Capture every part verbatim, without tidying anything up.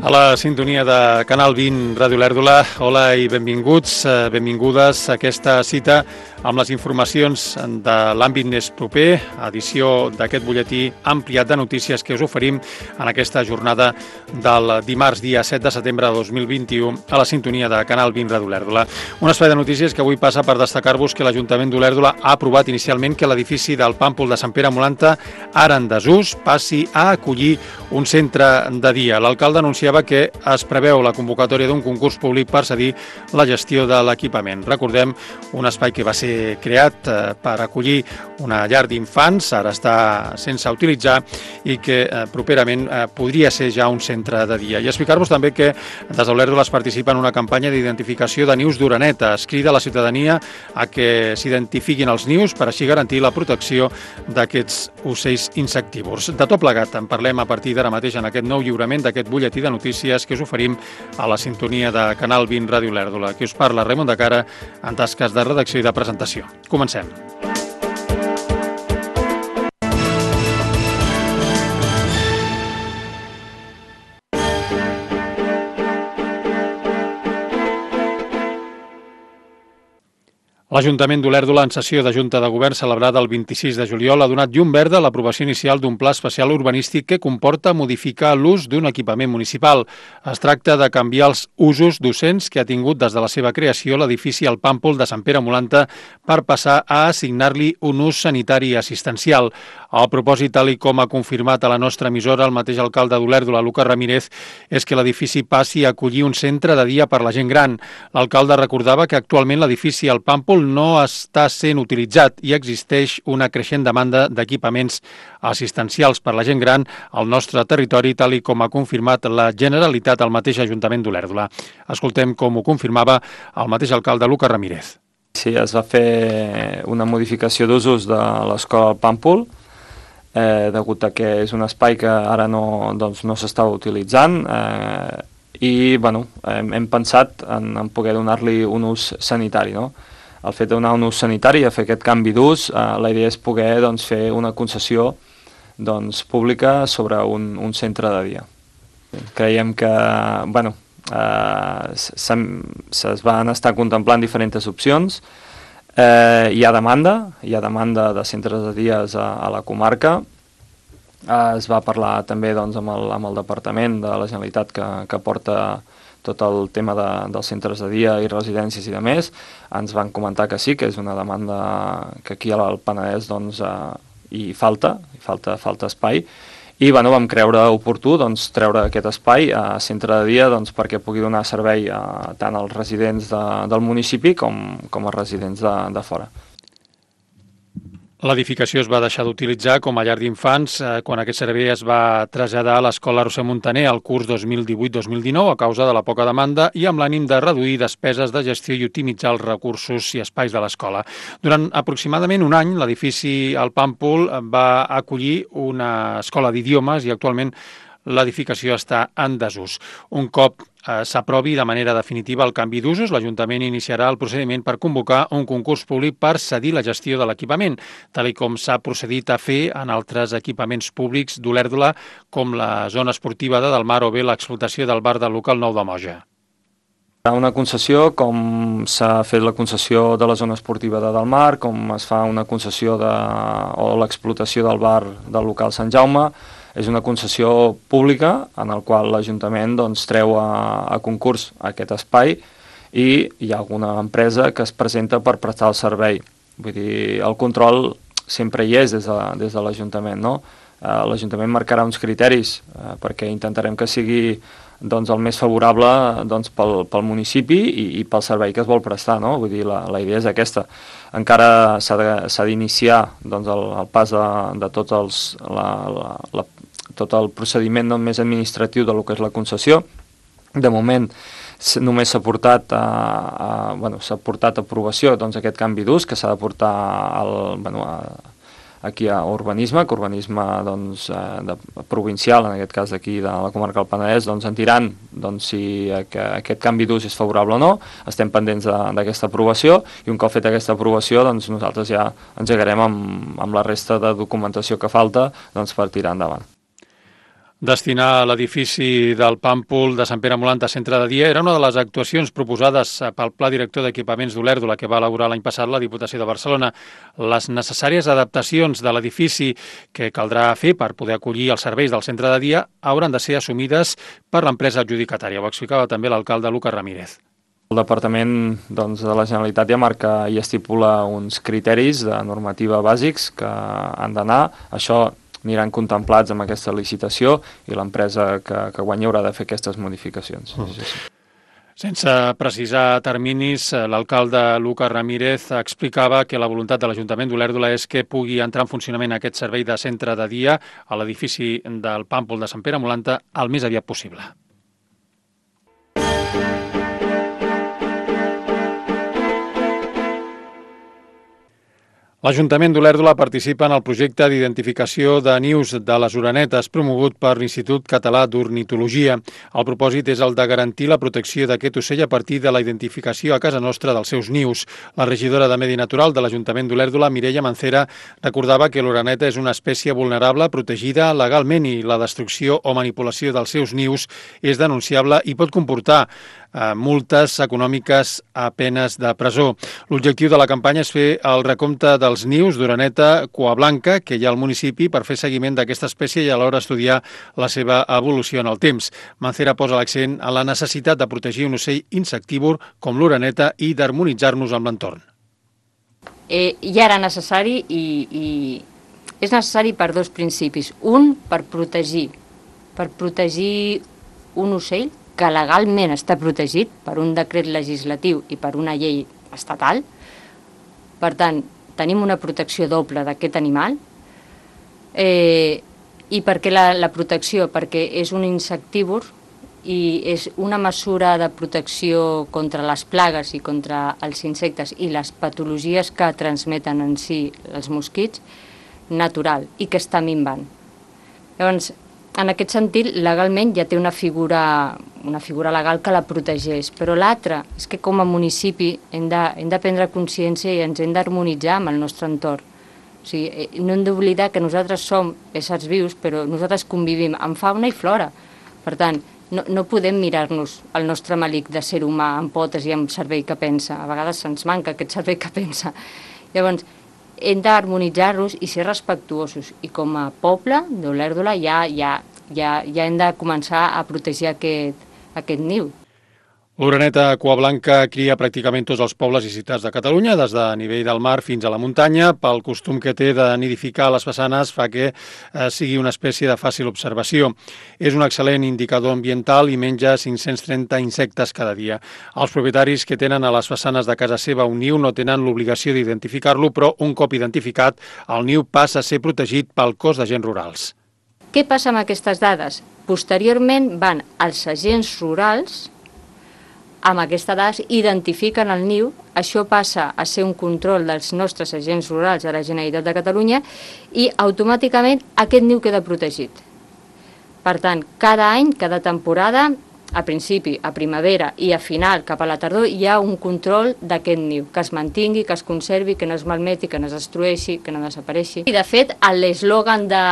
A la sintonia de Canal vint, Ràdio Olèrdola, hola i benvinguts, benvingudes a aquesta cita amb les informacions de l'àmbit més proper, edició d'aquest butlletí ampliat de notícies que us oferim en aquesta jornada del dimarts, dia set de setembre de dos mil vint-i-u, a la sintonia de Canal vint, Ràdio Olèrdola. Un espai de notícies que avui passa per destacar-vos que l'Ajuntament d'Olèrdola ha aprovat inicialment que l'edifici del Pàmpol de Sant Pere Molanta, ara en desús, passi a acollir un centre de dia. L'alcalde anunciava que es preveu la convocatòria d'un concurs públic per cedir la gestió de l'equipament. Recordem, un espai que va ser creat per acollir una llar d'infants, ara està sense utilitzar i que properament podria ser ja un centre de dia. I explicar-vos també que des d'Olèrdola es participa en una campanya d'identificació de nius d'oreneta. Es crida a la ciutadania a que s'identifiquin els nius per així garantir la protecció d'aquests ocells insectívors. De tot plegat en parlem a partir d'ara mateix en aquest nou lliurament d'aquest butlletí de notícies que us oferim a la sintonia de Canal vint, Ràdio Olèrdola. Qui us parla, Raimon de Cara, en tasques de redacció i de presentació. Comencem. L'Ajuntament d'Olèrdola, en sessió de Junta de Govern celebrada el vint-i-sis de juliol, ha donat llum verda a l'aprovació inicial d'un pla especial urbanístic que comporta modificar l'ús d'un equipament municipal. Es tracta de canviar els usos docents que ha tingut des de la seva creació l'edifici El Pàmpol de Sant Pere Molanta per passar a assignar-li un ús sanitari i assistencial. El propòsit, tal i com ha confirmat a la nostra emissora el mateix alcalde d'Olèrdola, Lucas Ramírez, és que l'edifici passi a acollir un centre de dia per la gent gran. L'alcalde recordava que actualment l'edifici El Pàmpol no està sent utilitzat i existeix una creixent demanda d'equipaments assistencials per la gent gran al nostre territori, tal i com ha confirmat la Generalitat al mateix Ajuntament d'Olèrdola. Escoltem com ho confirmava el mateix alcalde Lucas Ramírez. Sí, es va fer una modificació d'usos de l'escola El Pàmpol, eh, degut a que és un espai que ara no, doncs, no s'està utilitzant, eh, i bueno, hem, hem pensat en, en poder donar-li un ús sanitari, no? El fet de donar un ús sanitari i fer aquest canvi d'ús, eh, la idea és poder doncs, fer una concessió doncs, pública sobre un, un centre de dia. Creiem que bueno, eh, es van estar contemplant diferents opcions, eh, hi ha demanda, hi ha demanda de centres de dies a, a la comarca, eh, es va parlar també doncs, amb, el, amb el Departament de la Generalitat que, que porta tot el tema de, dels centres de dia i residències i de més. Ens van comentar que sí, que és una demanda que aquí al Penedès doncs, eh, hi falta, hi falta, falta espai, i bueno, vam creure oportú doncs, treure aquest espai a centre de dia doncs, perquè pugui donar servei a, tant als residents de, del municipi com, com als residents de, de fora. L'edificació es va deixar d'utilitzar com a llar d'infants eh, quan aquest servei es va traslladar a l'Escola Roser Montaner al curs dos mil divuit dos mil dinou a causa de la poca demanda i amb l'ànim de reduir despeses de gestió i optimitzar els recursos i espais de l'escola. Durant aproximadament un any, l'edifici El Pàmpol va acollir una escola d'idiomes i actualment l'edificació està en desús. Un cop eh, s'aprovi de manera definitiva el canvi d'usos, l'Ajuntament iniciarà el procediment per convocar un concurs públic per cedir la gestió de l'equipament, tal i com s'ha procedit a fer en altres equipaments públics d'Olèrdola, com la zona esportiva de Delmar o bé l'explotació del bar del local Nou de Moja. Una concessió com s'ha fet la concessió de la zona esportiva de Delmar, com es fa una concessió de, o l'explotació del bar del local Sant Jaume, és una concessió pública en el qual l'Ajuntament doncs, treu a, a concurs aquest espai i hi ha alguna empresa que es presenta per prestar el servei. Vull dir, el control sempre hi és des de, des de l'Ajuntament, no? Eh, L'Ajuntament marcarà uns criteris eh, perquè intentarem que sigui doncs, el més favorable doncs, pel, pel municipi i, i pel servei que es vol prestar, no? Vull dir, la, la idea és aquesta. Encara s'ha d'iniciar doncs, el, el pas de, de tots els, la, la, la, tot el procediment no, més administratiu de lo que és la concessió. De moment només s'ha portat a, a, bueno, s'ha portat a aprovació doncs, aquest canvi d'ús que s'ha de portar al, bueno, a, aquí a urbanisme, que urbanisme doncs, de, provincial, en aquest cas d'aquí de la comarca del Penedès, doncs en diran doncs, si aquest canvi d'ús és favorable o no. Estem pendents d'aquesta aprovació i un cop feta aquesta aprovació doncs, nosaltres ja engegarem amb, amb la resta de documentació que falta doncs, per tirar endavant. Destinar l'edifici del Pàmpol de Sant Pere Molant a centre de dia era una de les actuacions proposades pel Pla Director d'Equipaments d'Olèrdola que va elaborar l'any passat la Diputació de Barcelona. Les necessàries adaptacions de l'edifici que caldrà fer per poder acollir els serveis del centre de dia hauran de ser assumides per l'empresa adjudicatària. Ho explicava també l'alcalde Lucas Ramírez. El Departament doncs, de la Generalitat ja marca i estipula uns criteris de normativa bàsics que han d'anar. Això aniran contemplats amb aquesta licitació i l'empresa que, que guanyi haurà de fer aquestes modificacions. Mm. Sí, sí. Sense precisar terminis, l'alcalde Lucas Ramírez explicava que la voluntat de l'Ajuntament d'Olèrdola és que pugui entrar en funcionament aquest servei de centre de dia a l'edifici del Pàmpol de Sant Pere Molant el més aviat possible. L'Ajuntament d'Olèrdola participa en el projecte d'identificació de nius de les orenetes promogut per l'Institut Català d'Ornitologia. El propòsit és el de garantir la protecció d'aquest ocell a partir de la identificació a casa nostra dels seus nius. La regidora de Medi Natural de l'Ajuntament d'Olèrdola, Mireia Mancera, recordava que l'oreneta és una espècie vulnerable protegida legalment i la destrucció o manipulació dels seus nius és denunciable i pot comportar multes econòmiques a penes de presó. L'objectiu de la campanya és fer el recompte dels nius d'oreneta cuablanca que hi ha al municipi per fer seguiment d'aquesta espècie i alhora estudiar la seva evolució en el temps. Mancera posa l'accent en la necessitat de protegir un ocell insectívor com l'oreneta i d'harmonitzar-nos amb l'entorn. Eh, ja era necessari i, i és necessari per dos principis. Un, per protegir, per protegir un ocell que legalment està protegit per un decret legislatiu i per una llei estatal. Per tant, tenim una protecció doble d'aquest animal. Eh, I per què la, la protecció? Perquè és un insectívor i és una mesura de protecció contra les plagues i contra els insectes i les patologies que transmeten en si els mosquits natural i que està minvant. Llavors, en aquest sentit, legalment ja té una figura, una figura legal que la protegeix, però l'altra és que com a municipi hem de, hem de prendre consciència i ens hem d'harmonitzar amb el nostre entorn. O sigui, no hem d'oblidar que nosaltres som éssers vius, però nosaltres convivim amb fauna i flora. Per tant, no, no podem mirar-nos el nostre malic de ser humà amb potes i amb cervell que pensa. A vegades se'ns manca aquest cervell que pensa. Llavors, hem d'harmonitzar-nos i ser respectuosos. I com a poble d'Olèrdola ja, ja, ja, ja hem de començar a protegir aquest, aquest niu. L'oreneta cuablanca cria pràcticament tots els pobles i ciutats de Catalunya, des de nivell del mar fins a la muntanya. Pel costum que té de nidificar les façanes fa que eh, sigui una espècie de fàcil observació. És un excel·lent indicador ambiental i menja cinc-cents trenta insectes cada dia. Els propietaris que tenen a les façanes de casa seva un niu no tenen l'obligació d'identificar-lo, però un cop identificat, el niu passa a ser protegit pel cos d'agents rurals. Què passa amb aquestes dades? Posteriorment van als agents rurals. Amb aquestes dades identifiquen el niu, això passa a ser un control dels nostres agents rurals de la Generalitat de Catalunya i automàticament aquest niu queda protegit. Per tant, cada any, cada temporada, a principi, a primavera i a final, cap a la tardor, hi ha un control d'aquest niu, que es mantingui, que es conservi, que no es malmeti, que no es destrueixi, que no desapareixi. I de fet, l'eslògan de,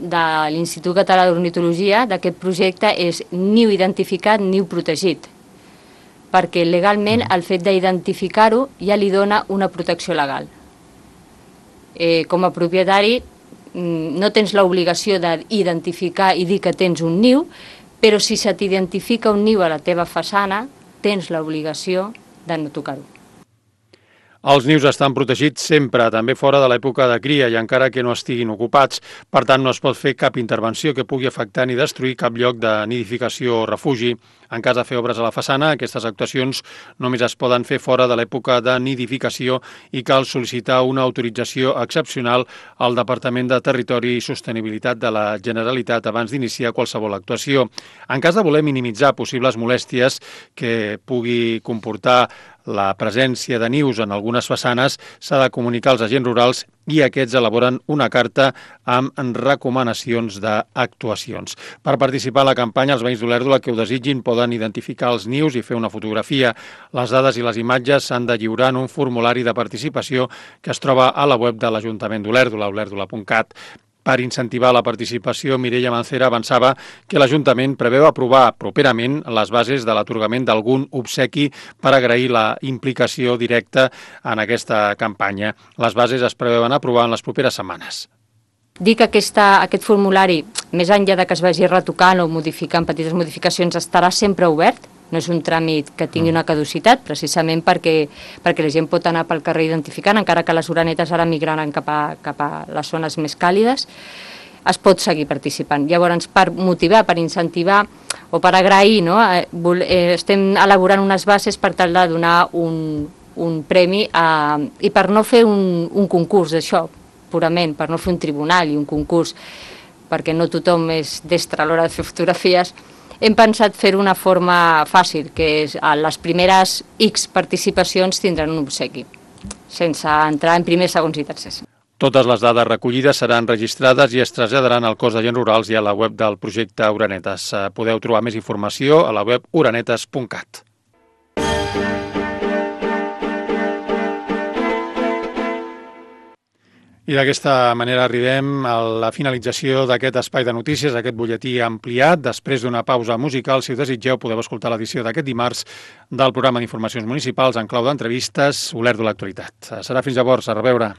de l'Institut Català d'Ornitologia d'aquest projecte és niu identificat, niu protegit, perquè legalment el fet d'identificar-ho ja li dona una protecció legal. Eh, com a propietari no tens l'obligació d'identificar i dir que tens un niu, però si se t'identifica un niu a la teva façana, tens l'obligació de no tocar-ho. Els nius estan protegits sempre, també fora de l'època de cria i encara que no estiguin ocupats. Per tant, no es pot fer cap intervenció que pugui afectar ni destruir cap lloc de nidificació o refugi. En cas de fer obres a la façana, aquestes actuacions només es poden fer fora de l'època de nidificació i cal sol·licitar una autorització excepcional al Departament de Territori i Sostenibilitat de la Generalitat abans d'iniciar qualsevol actuació. En cas de voler minimitzar possibles molèsties que pugui comportar la presència de nius en algunes façanes, s'ha de comunicar als agents rurals i aquests elaboren una carta amb recomanacions d'actuacions. Per participar a la campanya, els veïns d'Olèrdola que ho desitgin poden identificar els nius i fer una fotografia. Les dades i les imatges s'han de lliurar en un formulari de participació que es troba a la web de l'Ajuntament d'Olèrdola, olèrdola punt cat. Per incentivar la participació, Mireia Mancera avançava que l'Ajuntament preveu aprovar properament les bases de l'atorgament d'algun obsequi per agrair la implicació directa en aquesta campanya. Les bases es preveuen aprovar en les properes setmanes. Dic que aquesta, aquest formulari, més enllà de que es vagi retocant o modificant petites modificacions, estarà sempre obert. No és un tràmit que tingui una caducitat, precisament perquè, perquè la gent pot anar pel carrer identificant, encara que les orenetes ara migraran cap a, cap a les zones més càlides, es pot seguir participant. Llavors, per motivar, per incentivar o per agrair, no? eh, estem elaborant unes bases per tal de donar un, un premi a, i per no fer un, un concurs d'això, purament, per no fer un tribunal i un concurs, perquè no tothom és destre a l'hora de fer fotografies, hem pensat fer-ho d'una forma fàcil, que és a les primeres X participacions tindran un obsequi, sense entrar en primers, segons i tercers. Totes les dades recollides seran registrades i es traslladaran al cos d'agents rurals i a la web del projecte Orenetes. Podeu trobar més informació a la web orenetes punt cat. I d'aquesta manera arribem a la finalització d'aquest espai de notícies, aquest butlletí ampliat. Després d'una pausa musical, si ho desitgeu, podeu escoltar l'edició d'aquest dimarts del programa d'informacions municipals en clau d'entrevistes, Olèrdola Actualitat. Serà fins llavors, a reveure.